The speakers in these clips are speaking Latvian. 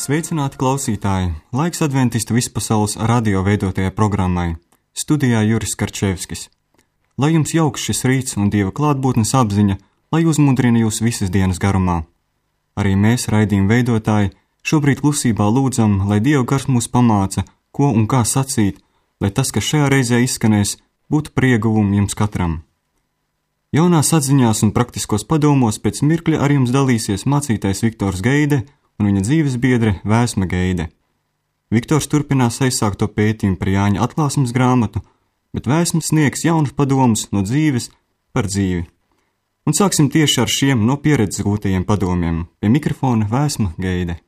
Sveicināti klausītāji! Laiks adventistu vispasaules radio veidotajai programmai. Studijā Juris Karčevskis. Lai jums jauks šis rīts un Dieva klātbūtnes apziņa, lai uzmudrina jūs visas dienas garumā. Arī mēs, raidījuma veidotāji, šobrīd klusībā lūdzam, lai Dieva gars mūs pamāca, ko un kā sacīt, lai tas, kas šajā reizē izskanēs, būtu par ieguvumu jums katram. Jaunās atziņās un praktiskos padomos pēc mirkļa ar jums dalīsies mācītājs Viktors Geide un viņa dzīves biedre Vēsma Geide. Viktors turpinās aizsākto pētījumu par Jāņa atklāsmes grāmatu, bet Vēsma sniegs jaunus padomus no dzīves par dzīvi. Un sāksim tieši ar šiem no pieredzes gūtajiem padomiem. Pie mikrofona Vēsma Geide.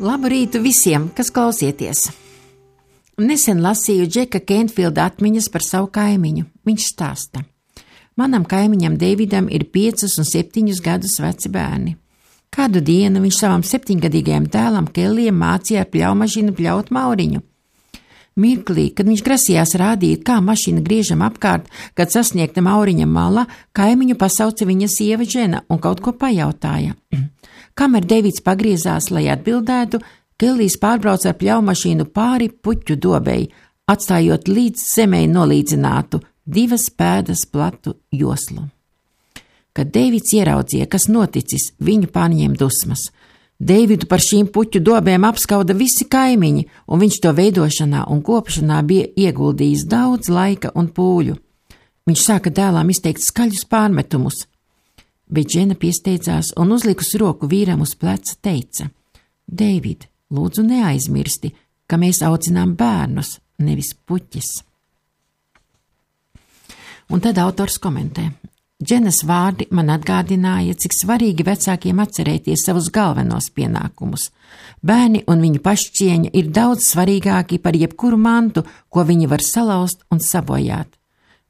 Labu rītu visiem, kas klausieties! Nesen lasīju Džeka Kentfilda atmiņas par savu kaimiņu. Viņš stāsta: manam kaimiņam Deividam ir 5 un 7 gadus veci bērni. Kādu dienu viņš savam 7-gadīgajam dēlam Kellijam mācīja ar pļaumašīnu pļaut mauriņu. Mirklī, kad viņš grasījās rādīt, kā mašīna griežam apkārt, kad sasniegta mauriņa mala, kaimiņu pasauca viņa sieva Džena un kaut ko pajautāja. Kamēr Deivids pagriezās, lai atbildētu, Kellijs pārbrauca ar pļaumašīnu pāri puķu dobei, atstājot līdz zemei nolīdzinātu 2 pēdas platu joslu. Kad Deivids ieraudzīja, kas noticis, viņu pārņēma dusmas. Deividu par šīm puķu dobēm apskauda visi kaimiņi, un viņš to veidošanā un kopšanā bija ieguldījis daudz laika un pūļu. Viņš sāka dēlām izteikt skaļus pārmetumus, bet Džena piesteidzās un uzlikusi roku vīram uz pleca teica: Deivid, lūdzu neaizmirsti, ka mēs audzinām bērnus, nevis puķis. Un tad autors komentē: Dženas vārdi man atgādināja, cik svarīgi vecākiem atcerēties savus galvenos pienākumus. Bērni un viņu pašcieņa ir daudz svarīgāki par jebkuru mantu, ko viņi var salauzt un sabojāt.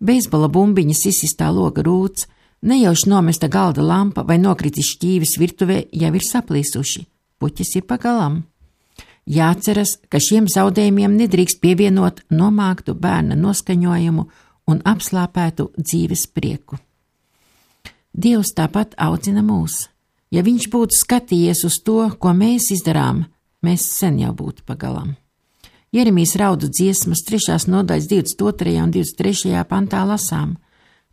Beisbola bumbiņas izsistā loga rūts, nejauši nomesta galda lampa vai nokritis šķīvis virtuvē jau ir saplīsuši. Puķis ir pagalam. Jāceras, ka šiem zaudējumiem nedrīkst pievienot nomāktu bērna noskaņojumu un apslāpētu dzīves prieku. Dievs tāpat audzina mūs. Ja viņš būtu skatījies uz to, ko mēs izdarām, mēs sen jau būtu pagalam. Jeremijas raudu dziesmas 3. nodaļas 22. un 23. pantā lasām: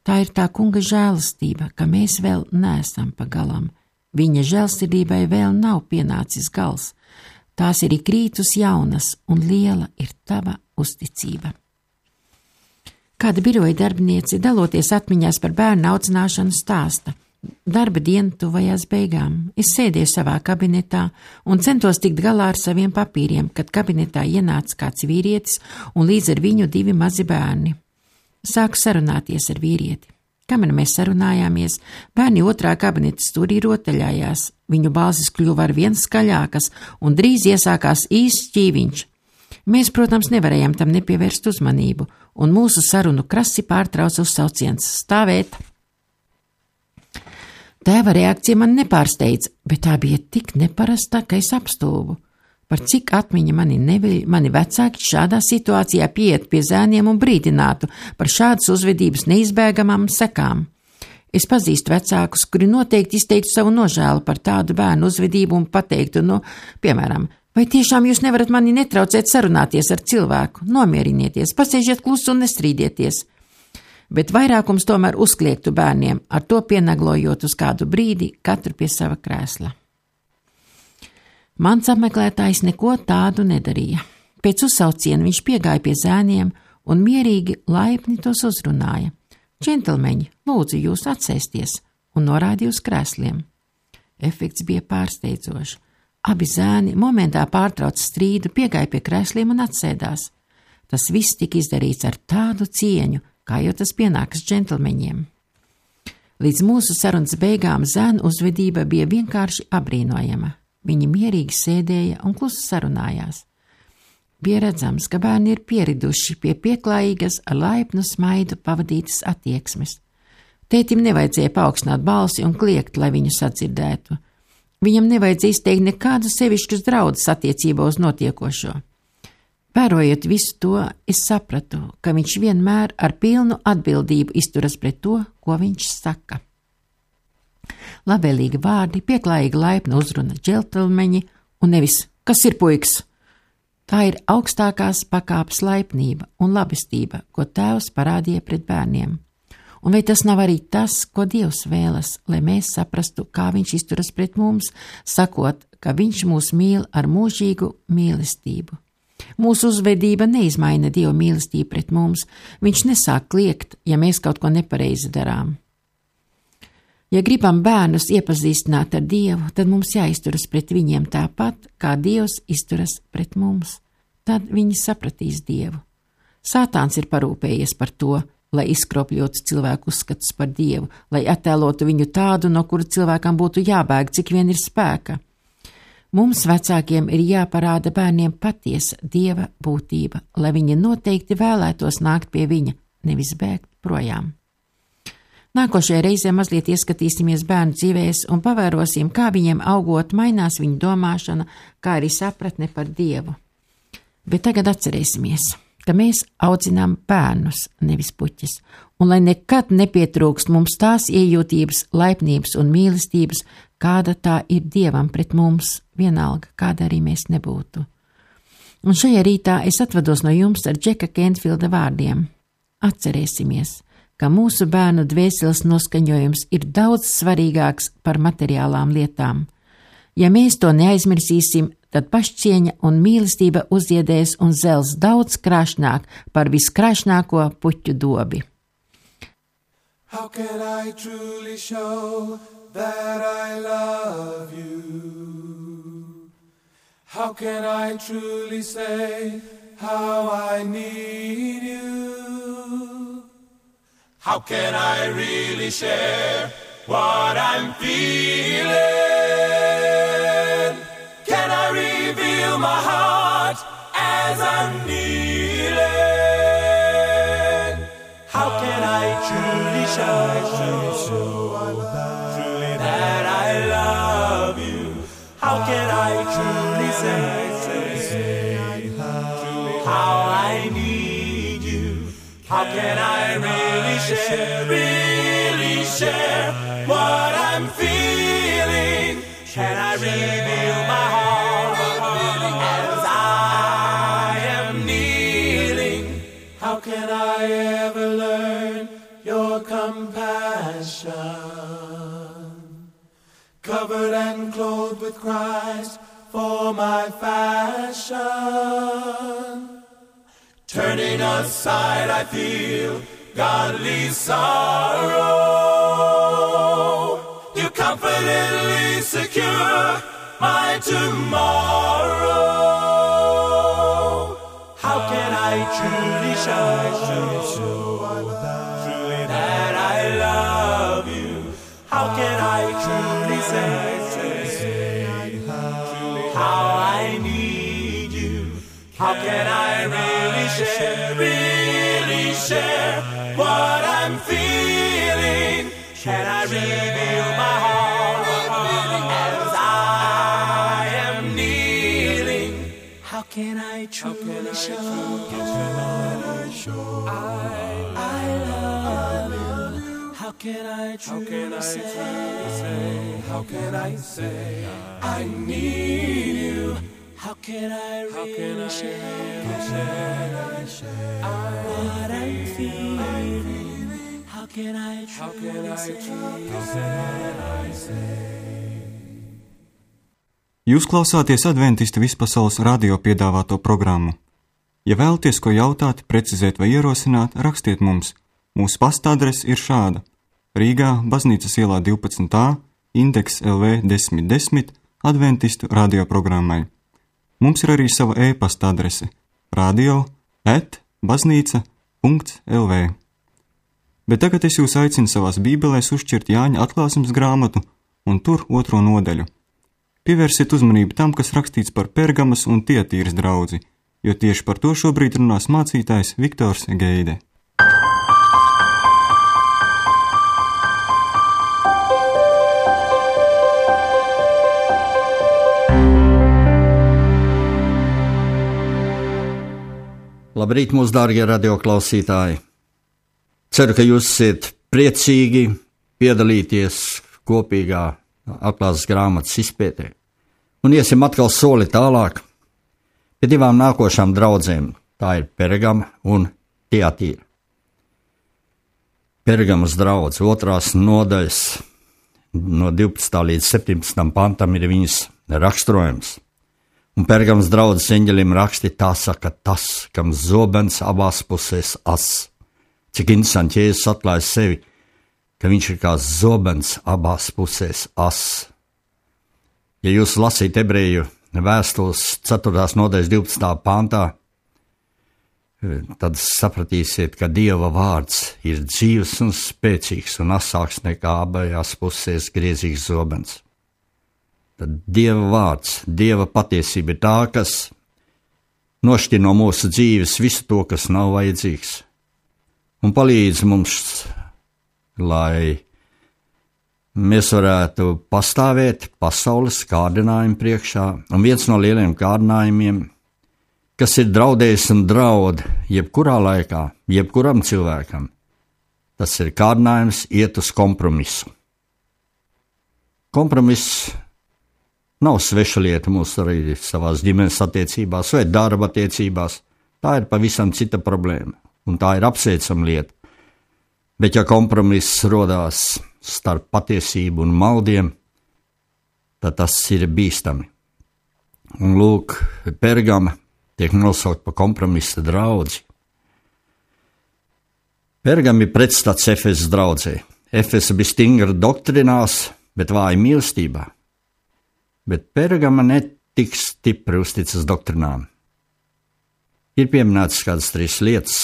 tā ir tā kunga žēlastība, ka mēs vēl neesam pagalam. Viņa žēlsirdībai vēl nav pienācis gals. Tās ir ikrītus jaunas, un liela ir tava uzticība. Kāda biroja darbiniece, daloties atmiņās par bērnu audzināšanu, stāsta: darba diena tuvajās beigām. Es sēdēju savā kabinetā un centos tikt galā ar saviem papīriem, kad kabinetā ienāca kāds vīrietis un līdz ar viņu 2 mazi bērni. Sāku sarunāties ar vīrieti. Kamēr mēs sarunājāmies, bērni otrā kabineta stūrī rotaļājās. Viņu balsis kļuva ar vien skaļākas un drīz iesākās īsts šķīviņš. Mēs, protams, nevarējām tam nepievērst uzmanību, un mūsu sarunu krasi pārtrauca uzsauciens: stāvēt! Tēva reakcija man nepārsteidza, bet tā bija tik neparasta, ka es apstulbu. Par cik atmiņa mani vecāki šādā situācijā pieiet pie zēniem un brīdinātu par šādas uzvedības neizbēgamām sekām. Es pazīstu vecākus, kuri noteikti izteiktu savu nožēlu par tādu bērnu uzvedību un pateiktu, piemēram: vai tiešām jūs nevarat mani netraucēt sarunāties ar cilvēku? Nomierinieties, pasēžiet klusu un nestrīdieties. Bet vairākums tomēr uzkliegtu bērniem, ar to pienaglojot uz kādu brīdi katru pie sava krēsla. Mans apmeklētājs neko tādu nedarīja. Pēc uzsauciena viņš piegāja pie zēniem un mierīgi, laipni tos uzrunāja: džentelmeņi, lūdzu jūs atsēsties, un norādīja uz krēsliem. Efekts bija pārsteidzošs. Abi zēni momentā pārtrauca strīdu, piegāja pie krēsliem un atsēdās. Tas viss tika izdarīts ar tādu cieņu, kā jau tas pienākas džentelmeņiem. Līdz mūsu sarunas beigām zēnu uzvedība bija vienkārši apbrīnojama. Viņi mierīgi sēdēja un klusi sarunājās. Bija redzams, ka bērni ir pieriduši pie pieklājīgas ar laipnu smaidu pavadītas attieksmes. Tētim nevajadzēja paaugstināt balsi un kliegt, lai viņu sadzirdētu. Viņam nevajadzēja izteikt nekādu sevišķus draudus attiecībā uz notiekošo. Vērojot visu to, es sapratu, ka viņš vienmēr ar pilnu atbildību izturas pret to, ko viņš saka. Labvēlīgi vārdi, pieklājīga laipna uzruna, džentelmeņi un nevis, kas ir puiks? Tā ir augstākās pakāpes laipnība un labestība, ko tēvs parādīja pret bērniem. Un vai tas nav arī tas, ko Dievs vēlas, lai mēs saprastu, kā viņš izturas pret mums, sakot, ka viņš mūs mīl ar mūžīgu mīlestību? Mūsu uzvedība neizmaina Dieva mīlestību pret mums, viņš nesāk kliegt, ja mēs kaut ko nepareizi darām. Ja gribam bērnus iepazīstināt ar Dievu, tad mums jāizturas pret viņiem tāpat, kā Dievs izturas pret mums. Tad viņi sapratīs Dievu. Sātāns ir parūpējies par to, lai izkropļotu cilvēku uzskatus par Dievu, lai attēlotu viņu tādu, no kura cilvēkam būtu jābēg, cik vien ir spēka. Mums vecākiem ir jāparāda bērniem patiesa Dieva būtība, lai viņi noteikti vēlētos nākt pie viņa, nevis bēgt projām. Nākošajā reizē mazliet ieskatīsimies bērnu dzīvēs un pavērosim, kā viņiem augot mainās viņu domāšana, kā arī sapratne par Dievu. Bet tagad atcerēsimies, ka mēs audzinām bērnus, nevis puķis, un lai nekad nepietrūkst mums tās iejūtības, laipnības un mīlestības, kāda tā ir Dievam pret mums, vienalga, kāda arī mēs nebūtu. Un šajā rītā es atvados no jums ar Džeka Kentfilda vārdiem. Atcerēsimies, ka mūsu bērnu dvēseles noskaņojums ir daudz svarīgāks par materiālām lietām. Ja mēs to neaizmirsīsim, tad pašcieņa un mīlestība uzziedēs un zels daudz krāšnāk par viskrāšnāko puķu dobi. How can I truly show that I love you? How can I truly say how I need you? How can I really share what I'm feeling? Can I reveal my heart as I'm kneeling? How can I truly show that I love you? How can I truly say how I need you? How can I really share what I'm feeling? Can I reveal my heart as I am kneeling? How can I ever learn your compassion? Covered and clothed with Christ for my fashion. Turning aside, I feel godly sorrow. You confidently secure my tomorrow. How can I truly show that I love you? How can I truly say how I need you? How can I really share what I'm feeling? Can I reveal my heart as I am kneeling? How can I truly show I love you? How can I truly say, how can I say I need you? How can I really share what I'm feeling? How can I truly say? Jūs klausāties Adventistu vispasaules radio piedāvāto programmu. Ja vēlaties ko jautāt, precizēt vai ierosināt, rakstiet mums. Mūsu pastadrese ir šāda: Rīgā, Baznīcas ielā 12a, indeks LV 1010, Adventistu radioprogrammai. Mums ir arī sava e-pasta adrese radio@baznīca.lv. Bet tagad es jūs aicinu savās bībelēs uzšķirt Jāņa atklāsmes grāmatu un tur 2. nodaļu. pievērsiet uzmanību tam, kas rakstīts par Pergamas un Tietīras draudzi, jo tieši par to šobrīd runās mācītājs Viktors Geide. Labrīt, mūsu dārgie radioklausītāji! Ceru, ka jūs esat priecīgi piedalīties kopīgā atklāsmes grāmatas izpētē. Un iesim atkal soli tālāk pie divām nākošām draudzēm. Tā ir Pergama un Tietīra. Pergamas draudze, 2. nodaļas no 12. līdz 17. pantam ir viņas raksturojums. Un Pergamas draudzes eņģelim raksti tā saka tas, kam zobens abās pusēs as. Cik interesanti, Jēzus atklāja sevi, ka viņš ir kā zobens abās pusēs as. Ja jūs lasīt ebreju vēstules 4. nodaļas 12. pantā, tad sapratīsiet, ka Dieva vārds ir dzīves un spēcīgs un asāks nekā abajās pusēs griezīgs zobens. Tad Dieva vārds, Dieva patiesība ir tā, kas nošķir no mūsu dzīves visu to, kas nav vajadzīgs, un palīdz mums, lai mēs varētu pastāvēt pasaules kārdinājumu priekšā, un viens no lieliem kārdinājumiem, kas ir draudējis un draud jebkurā laikā, jebkuram cilvēkam, tas ir kārdinājums iet uz kompromisu. Kompromiss nav sveša lieta mūsu arī savās ģimenes attiecībās vai darba attiecībās. Tā ir pavisam cita problēma, un tā ir apsveicama lieta. Bet ja kompromiss rodās starp patiesību un maldiem, tad tas ir bīstami. Un lūk, Pergama tiek nosaukt par kompromisa draudzi. Pergama ir pretstats Efesas draudzē. Efesa bija stingra doktrinās, bet vāja mīlestībā. Bet Pergama netik stipri uzticas doktrinām. Ir pieminētas kādas 3 lietas.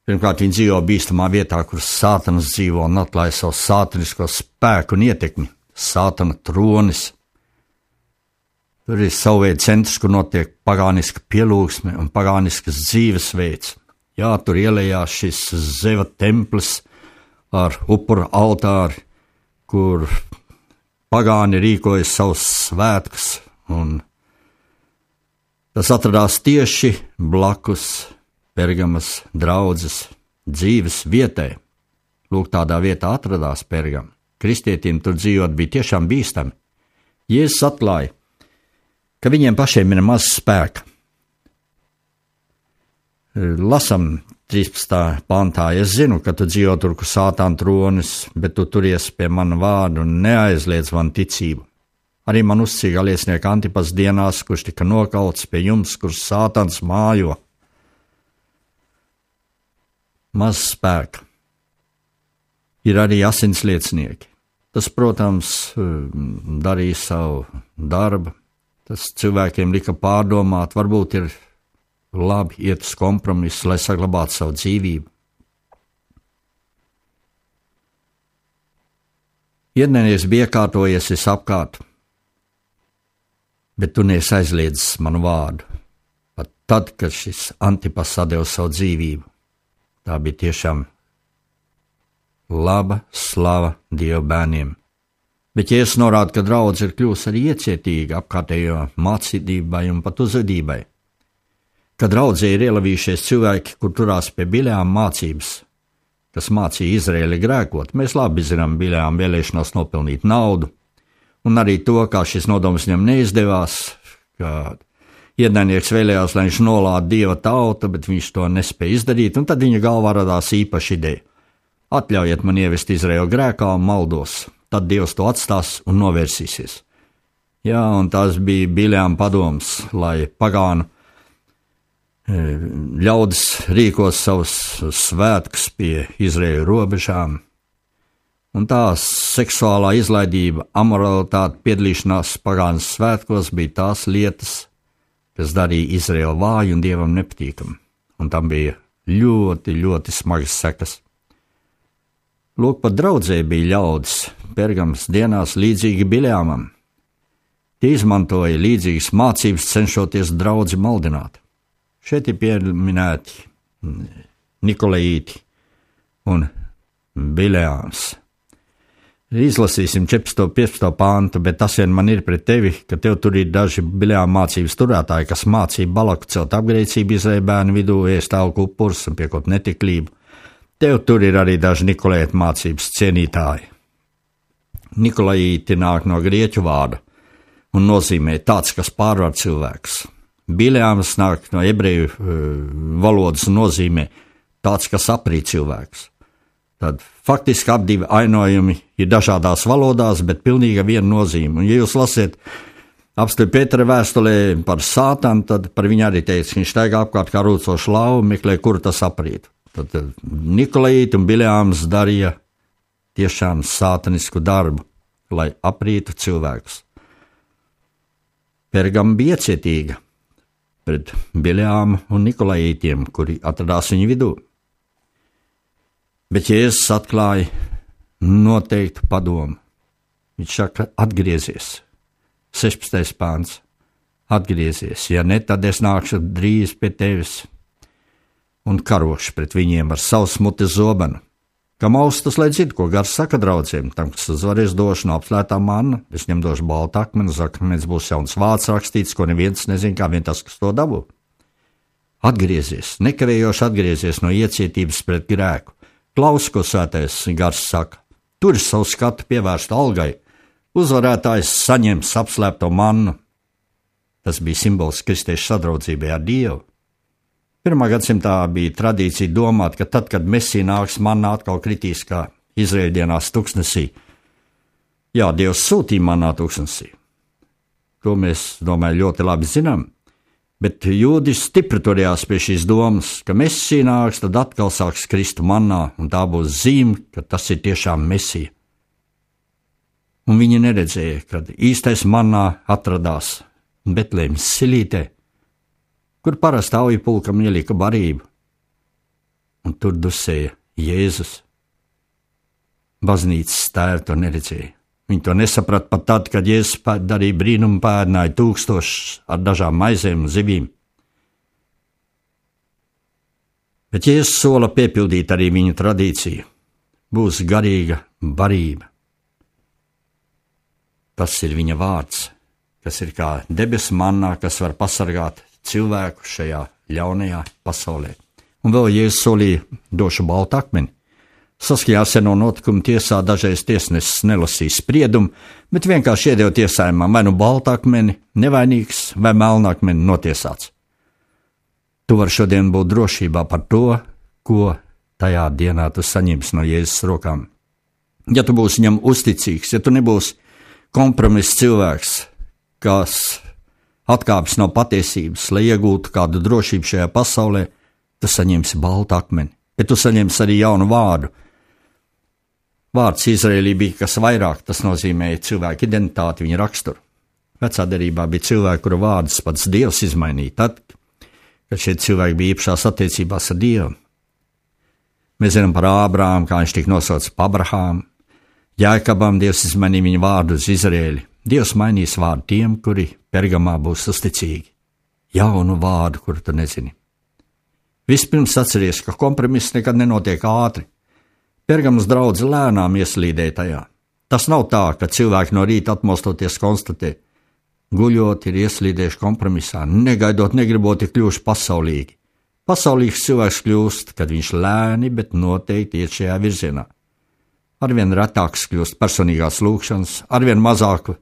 Pirmkārt, viņi dzīvo bīstamā vietā, kur Sātans dzīvo un atklāja savu sātanisko spēku un ietekmi. Sātana tronis. Tur ir savu veidu centrs, kur notiek pagāniska pielūgsme un pagāniskas dzīvesveids. Jā, tur ielējās šis Zeva templis ar upura altāri, kur pagāni rīkoja savus svētkus, un tas atradās tieši blakus Pergamas draudzes dzīves vietai. Lūk, tādā vietā atradās Pergama. Kristietim tur dzīvot bija tiešām bīstami. Jēzus atklāja, ka viņiem pašiem ir maz spēka. Lasam 13. pantā, es zinu, ka tu dzīvo tur, kur Sātana tronis, bet tu turies pie mana vārda un neaizliedz man ticību. Arī man uzticīgā liecinieka Antipas dienās, kurš tika nokauts pie jums, kur Sātans mājo. Maz spēka. Ir arī asins liecinieki. Tas, protams, darīja savu darbu. Tas cilvēkiem lika pārdomāt, varbūt ir labi iet uz kompromisu, lai saglabātu savu dzīvību. Iednieks bija iekārtojies apkārt, bet tu neesi aizliedzis manu vārdu. Pat tad, kad šis Antipas atdeva savu dzīvību, tā bija tiešām laba slava Dieva bērniem. Bet Jēzus norāda, ka draudze ir kļūst arī iecietīga apkārtējo mācībai un pat uzvedībai. Kad draudzē ir ielavījušies cilvēki, kur turās pie Bileām mācības, kas mācīja Izraēli grēkot, mēs labi zinām Bileām vēlēšanos nopelnīt naudu, un arī to, kā šis nodoms viņam neizdevās, ka ienaidnieks vēlējās, lai viņš nolāda Dieva tautu, bet viņš to nespēja izdarīt, un tad viņa galvā radās īpaša ideja. Atļaujiet man ievest Izraēlu grēkā un maldos, tad Dievs to atstās un novērsīsies. Jā, un tās bija Bileām padoms, lai pagānu ļaudis rīkos savus svētkus pie Izraēļu robežām, un tā seksuālā izlaidība, amoralitāte, piedalīšanās pagānas svētkos bija tās lietas, kas darīja Izraēlu vāju un Dievam nepatīkamu, un tam bija ļoti, ļoti smagas sekas. Lūk, pat draudzē bija ļaudis Pergamas dienās līdzīgi Bileāmam, Tie izmantoja līdzīgas mācības, cenšoties draudzi maldināt. Šeit ir pieminēti Nikolaīti un Bileāms. Izlasīsim 14. 15. pāntu, bet tas vien man ir pret tevi, ka tev tur ir daži Bileāma mācības turētāji, kas mācīja Balaku celt apgrēcību Izraēļa bērnu vidū, ēst alku upurus un piekot netiklību. Tev tur ir arī daži Nikolaīti mācības cienītāji. Nikolaīti nāk no grieķu vārda un nozīmē tāds, kas pārvar cilvēks. Bileāms nāk no ebreju valodas un nozīmē tāds, kas aprīt cilvēks. Tad faktiski abi ainojumi ir dažādās valodās, bet pilnīgi viena nozīme. Un, ja jūs lasiet apstipri Pētera vēstulē par Sātanu, tad par viņu arī teica, ka viņš staigā apkārt kā rūcošs lauva, meklē, kur tas aprīt. Tad Nikolaīti un Bileāms darīja tiešām sātanisku darbu, lai aprītu cilvēkus. Pergama bija iecietīga pret Bileāmu un Nikolaītiem, kuri atradās viņu vidū. Bet Jēzus atklāja noteiktu padomu. Viņš saka, atgriezies. 16. pāns. Atgriezies. Ja ne, tad es nākšu drīz pie tevis un karošu pret viņiem ar savu smuti zobenu. Kam austas, lai dzird, ko gars saka draudziem, tam, kas uzvarēs došu no apslētā manna, es viņam došu baltu akmeni, uz akmens būs jauns vārds rakstīts, ko neviens nezin, kā vien tas, kas to dabū. Atgriezies, nekavējoši atgriezies no iecietības pret grēku. Klaus, ko svētais gars saka, tur savu skatu pievērst algai, uzvarētājs saņems apslēpto mannu. Tas bija simbols kristiešu sadraudzībai ar Dievu. 1. gadsimtā bija tradīcija domāt, ka tad, kad Mesija nāks, manna atkal kritīs kā Izraēļa dienās tuksnesī. Jā, Dievs sūtīja mannā tuksnesī. To mēs, domāju, ļoti labi zinām. Bet jūdi stipri turējās pie šīs domas, ka Mesija nāks, tad atkal sāks kristu mannā, un tā būs zīme, ka tas ir tiešām Mesija. Un viņi neredzēja, kad īstais mannā atradās Betlēmas silītē, kur parasti auju pulkam ielika barību, un tur dusēja Jēzus. Baznīcas tēri to neredzēja. Viņi to nesaprata pat tad, kad Jēzus darīja brīnumu, pēdināja 1000 ar dažām maizēm un zivīm. Bet Jēzus sola piepildīt arī viņu tradīciju. Būs garīga barība. Tas ir viņa vārds, kas ir kā debesu mannā, kas var pasargāt cilvēku šajā ļaunajā pasaulē. Un vēl Jēzus solīja došu baltu akmeni. Saskaņā ar seno notikumu tiesā dažreiz tiesnesis nelasīja spriedumu, bet vienkārši iedeva tiesājumam vai nu baltu akmeni, nevainīgs, vai melnu akmeni notiesāts. Tu vari šodien būt drošībā par to, ko tajā dienā tu saņemsi no Jēzus rokām. Ja tu būsi viņam uzticīgs, ja tu nebūsi kompromiss cilvēks, kas atkāpjas no patiesības, lai iegūtu kādu drošību šajā pasaulē, tu saņemsi baltu akmeni, bet tu saņemsi arī jaunu vārdu. Vārds Izraēlī bija kas vairāk, tas nozīmēja cilvēku identitāti, viņa raksturu. Vecā derībā bija cilvēki, kuru vārdus pats Dievs izmainīja tad, kad šie cilvēki bija īpašās attiecībās ar Dievu. Mēs zinām par Ābrāmu, kā viņš tika nosaucis par Abrahāmu. Jēkabam Dievs izmainīja viņa vārdu uz Izraēli. Dievs mainīs vārdu tiem, kuri Pergamā būs uzticīgi. Jaunu vārdu, kuru tu nezini. Vispirms atceries, ka kompromiss nekad nenotiek ātri. Pergamas draudze lēnām ieslīdēja tajā. Tas nav tā, ka cilvēki no rīta atmostoties konstatē, guļot ir ieslīdējuši kompromisā, negaidot, negribot ir kļuvuši pasaulīgi. Pasaulīgs cilvēks kļūst, kad viņš lēni, bet noteikti iet šajā virzienā. Arvien retāks kļūst personīgās lūgšanas, arvien mazāk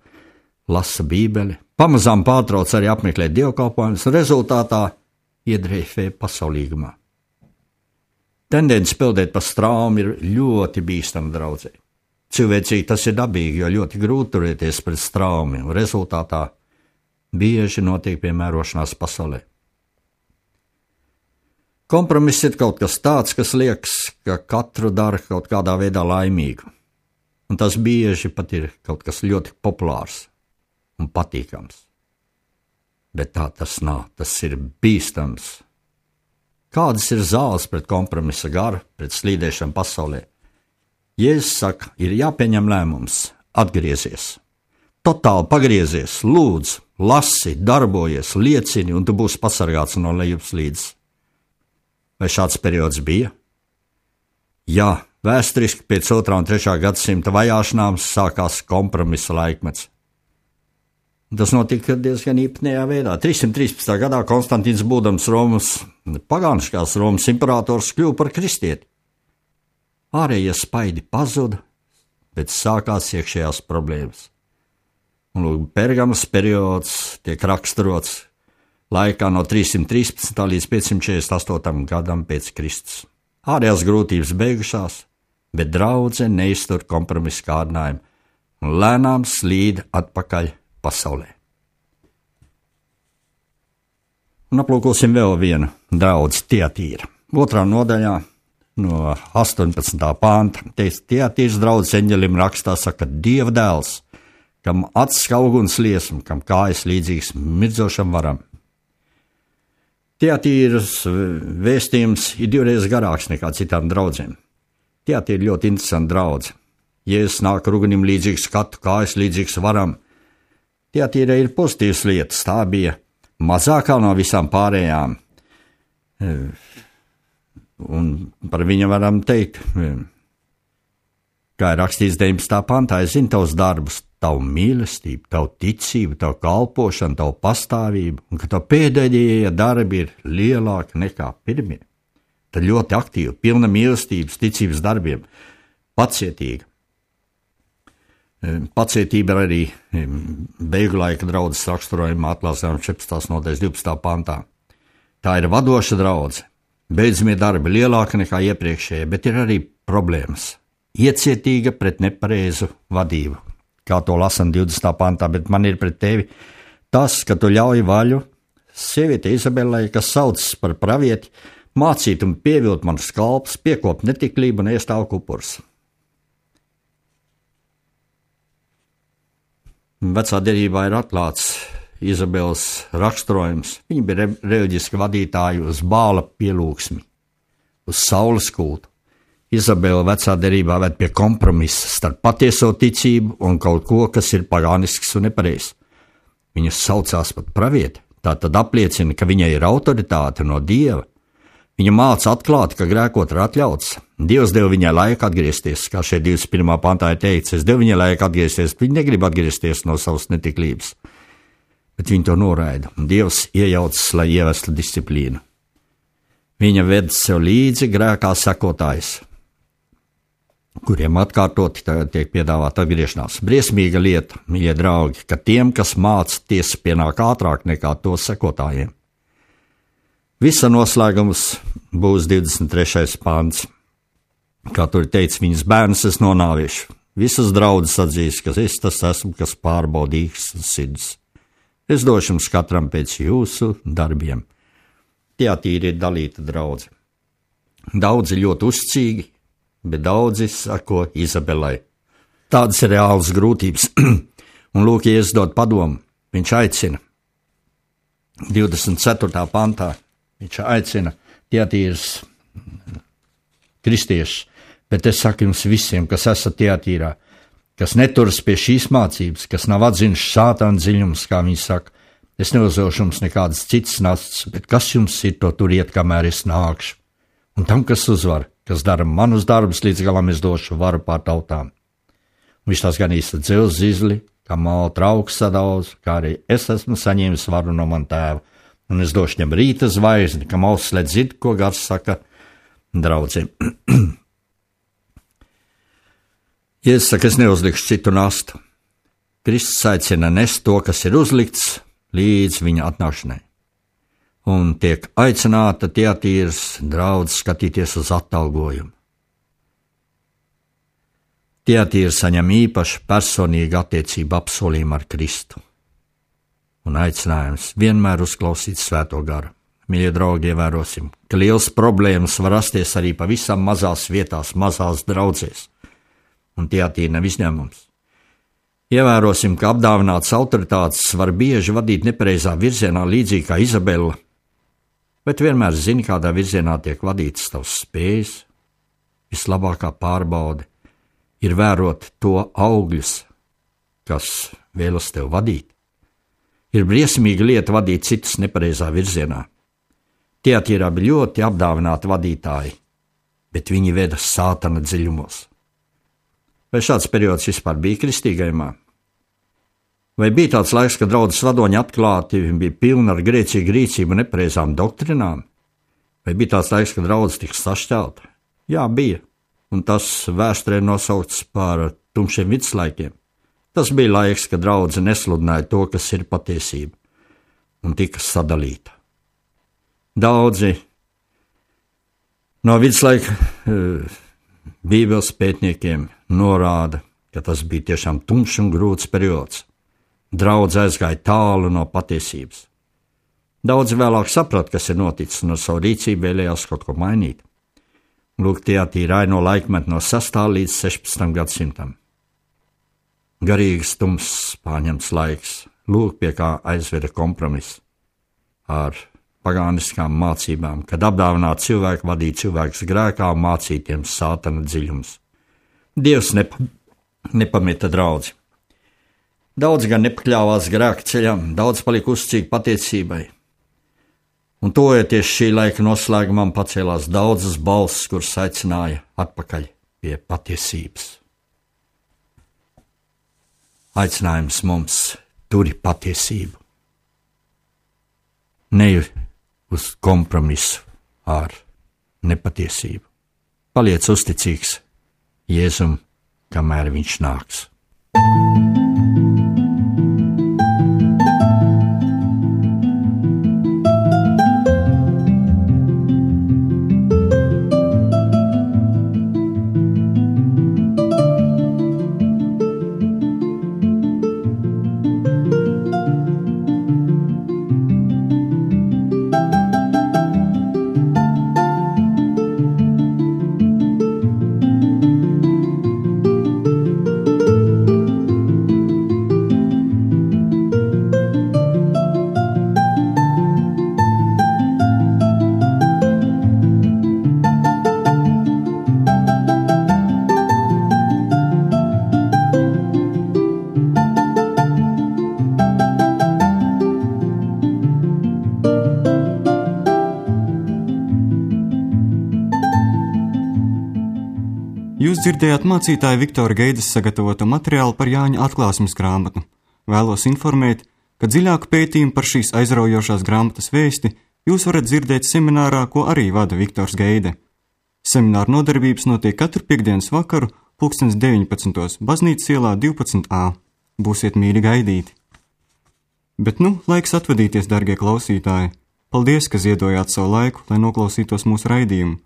lasa bībeli, pamazām pārtrauc arī apmeklēt dievkalpojumus, rezultātā iedreifē pasaulīgumā. Tendence peldēt pa straumu ir ļoti bīstama draudzē. Cilvēcīgi tas ir dabīgi, jo ļoti grūti turēties pret straumi, un rezultātā bieži notiek piemērošanās pasaulē. Kompromiss ir kaut kas tāds, kas liekas, ka katru dara kaut kādā veidā laimīgu, un tas bieži pat ir kaut kas ļoti populārs un patīkams. Bet tā tas nav, tas ir bīstams. Kādas ir zāles pret kompromisa garu, pret slīdēšanu pasaulē? Jēzus saka, ir jāpieņem lēmums, atgriezies. totāli pagriezies, lūdz, lasi, darbojies, liecini, un tu būsi pasargāts no lejupslīdes. Vai šāds periods bija? Jā, vēsturiski pēc 2. un 3. gadsimta vajāšanām sākās kompromisa laikmets. Tas notika diezgan īpatnējā veidā. 313. gadā Konstantīns, būdams pagāniskās Romas imperators, kļuva par kristieti. Ārējie spaidi pazuda, bet sākās iekšējās problēmas. Un lūk, Pergamas periods tiek raksturots laikā no 313. līdz 548. gadam pēc Kristus. Ārējās grūtības beigušās, bet draudze neiztur kompromisu kārdinājumu un lēnām slīd atpakaļ pasaulē. Un aplūkosim vēl vienu draudzi Tiatīra. 2. nodaļā no 18. panta teiks, Tiatīras draudzes eņģelim rakstā saka, Dieva dēls, kam acis kā uguns liesma, kam kājas līdzīgs mirdzošam varam. Tiatīras vēstījums ir 2 garāks nekā citām draudzēm. Tiatīra ļoti interesanta draudze. Jēzus nāk ar ugunim līdzīgs skatu, kājas līdzīgs varam. Tiatīra ir pozitīvas lietas, tā bija mazākā no visām pārējām. Un par viņu varam teikt, kā ir rakstīts 19. pantā, es zinu tavus darbus, tavu mīlestību, tavu ticību, tavu kalpošanu, tavu pastāvību, un ka tavu pēdējie darbi ir lielāki nekā pirmie. Tad ļoti aktīvi, pilna mīlestības, ticības darbiem, pacietīga. Pacietība ir arī beigu laika draudzes raksturojuma atklāsmē 14. nodaļas 12. pantā. Tā ir vadoša draudze. Beidzamie darbi lielāki nekā iepriekšējie, bet ir arī problēmas. Iecietīga pret nepareizu vadību, kā to lasam 20. pantā, bet man ir pret tevi tas, ka tu ļauj vaļu sieviete Izabelai, kas saucas par pravieti, mācīt un pievilt manus kalpus, piekopt netiklību un ēst augu upurus. Vecā derībā ir atklāts Izabeles raksturojums. Viņa bija reliģiska vadītāja uz Bāla pielūgsmi, uz saules kultu. Izabela vecā derībā ved pie kompromisa starp patieso ticību un kaut ko, kas ir pagānisks un nepareizs. Viņa saucās pat pravieti, tā tad apliecina, ka viņai ir autoritāte no Dieva. Viņa māca atklāt, ka grēkot ir atļauts. Dievs deva viņai laiku atgriezties, kā šeit 21. pantā ir teikts, es devu viņai laiku atgriezties, viņa negrib atgriezties no savas netiklības. Bet viņa to noraida, un Dievs iejaucas, lai ievestu disciplīnu. Viņa ved sev līdzi grēkā sekotājs, kuriem atkārtoti tiek piedāvāta atgriešanās. Briesmīga lieta, mīļie draugi, ka tiem, kas māca, tiesa pienāk ātrāk nekā to sekotājiem. Visa noslēgums būs 23. pants. Kā tur teica, viņas bērns es nonāvīšu. Visas draudzes atzīs, ka es tas esmu, kas pārbaudīgs sirds. Es došu jums katram pēc jūsu darbiem. Tiatīra ir dalīta draudze. Daudzi ļoti uzticīgi, bet daudzi sako Izabelai. Tādas ir reālas grūtības. Un lūk, ja es dod padomu, viņš aicina 24. pantā. Viņš aicina Tiatīras kristiešus, bet es saku jums visiem, kas esat Tiatīrā, kas neturas pie šīs mācības, kas nav atzinuši sātāna dziļums, kā viņi saka, es neuzdošu jums nekādas citas nastas, bet kas jums ir, to turiet, kamēr es nākšu. Un tam, kas uzvar, kas dara manus darbus, līdz galam es došu varu pār tautām. Un viņš tās ganīs ar dzelzs zizli, kā māla trauks sadauz, kā arī es esmu saņēmis varu no man tēva. Un es došu viņam rīta zvaigzni, kam auss slēdz dzird, ko gars saka draudzēm. Jēzus saka, es neuzlikšu citu nastu. Kristus aicina nest to, kas ir uzlikts, līdz viņa atnākšanai. Un tiek aicināta Tiatīras draudze skatīties uz atalgojumu. Tiatīra saņem īpašu personīgu attiecību apsolījumu ar Kristu. Un aicinājums vienmēr uzklausīt Svēto garu. Mīļie draugi, ievērosim, ka liels problēmas var rasties arī pavisam mazās vietās, mazās draudzēs. Un Tiatīra nav izņēmums. Ievērosim, ka apdāvināts autoritātes var bieži vadīt nepareizā virzienā, līdzīgi kā Izabela, bet vienmēr zini, kādā virzienā tiek vadītas tavs spējas. Vislabākā pārbaude ir vērot to augļus, kas vēlos tevi vadīt. Ir briesmīga lieta vadīt citus nepareizā virzienā. Teatīrā bija ļoti apdāvināti vadītāji, bet viņi veda sātana dziļumos. Vai šāds periods vispār bija kristīgajumā? Vai bija tāds laiks, kad draudzes vadoņi atklāti bija pilni ar grēcīgu rīcību un nepareizām doktrinām? Vai bija tāds laiks, kad draudzes tika sašķelta? Jā, bija, un tas vēsturē nosaukts par tumšiem viduslaikiem. Tas bija laiks, kad draudze nesludināja to, kas ir patiesība, un tika sadalīta. Daudzi no viduslaika bībeles pētniekiem norāda, ka tas bija tiešām tumšs un grūts periods. Draudze aizgāja tālu no patiesības. Daudzi vēlāk saprata, kas ir noticis, un ar savu rīcību vēlējās kaut ko mainīt. Lūk, teatīra aino laikmetu no 6. līdz 16. gadsimtam. Garīgs tumss pārņemts laiks, lūk, pie kā aizveda kompromiss ar pagāniskām mācībām, kad apdāvināti cilvēki vadīja cilvēkus grēkā un mācītiem sātana dziļums. Dievs nepameta draudzi. Daudz gan nepakļāvās grēka ceļam, daudz palika uzticīgi patiesībai. Un tojoties šī laika noslēgumam pacēlās daudzas balsis, kuras aicināja atpakaļ pie patiesības. Aicinājums mums turi patiesību. Ne uz kompromisu ar nepatiesību. Paliec uzticīgs Jēzum, kamēr viņš nāks. Jūs dzirdējāt mācītāja Viktora Geidas sagatavoto materiālu par Jāņa atklāsmes grāmatu. Vēlos informēt, ka dziļāku pētījumu par šīs aizraujošās grāmatas vēsti jūs varat dzirdēt seminārā, ko arī vada Viktors Geide. Semināra nodarbības notiek katru piektdienas vakaru 19:00 Baznīcas ielā 12A. Būsiet mīļi gaidīti. Bet laiks atvadīties, dargie klausītāji. Paldies, ka ziedojāt savu laiku, lai noklausītos mūsu raidījumu.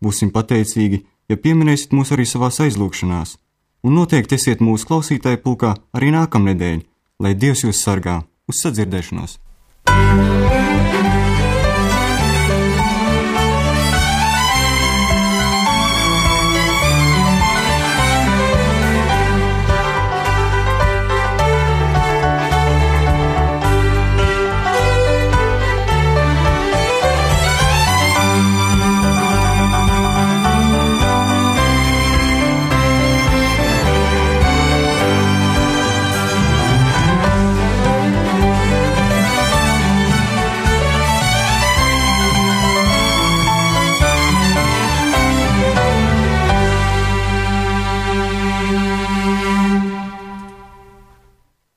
Būsim pateicīgi, ja pieminēsiet mūs arī savās aizlūgšanās, un noteikti esiet mūsu klausītāju pulkā arī nākamnedēļ, lai Dievs jūs sargā. Uz sadzirdēšanos!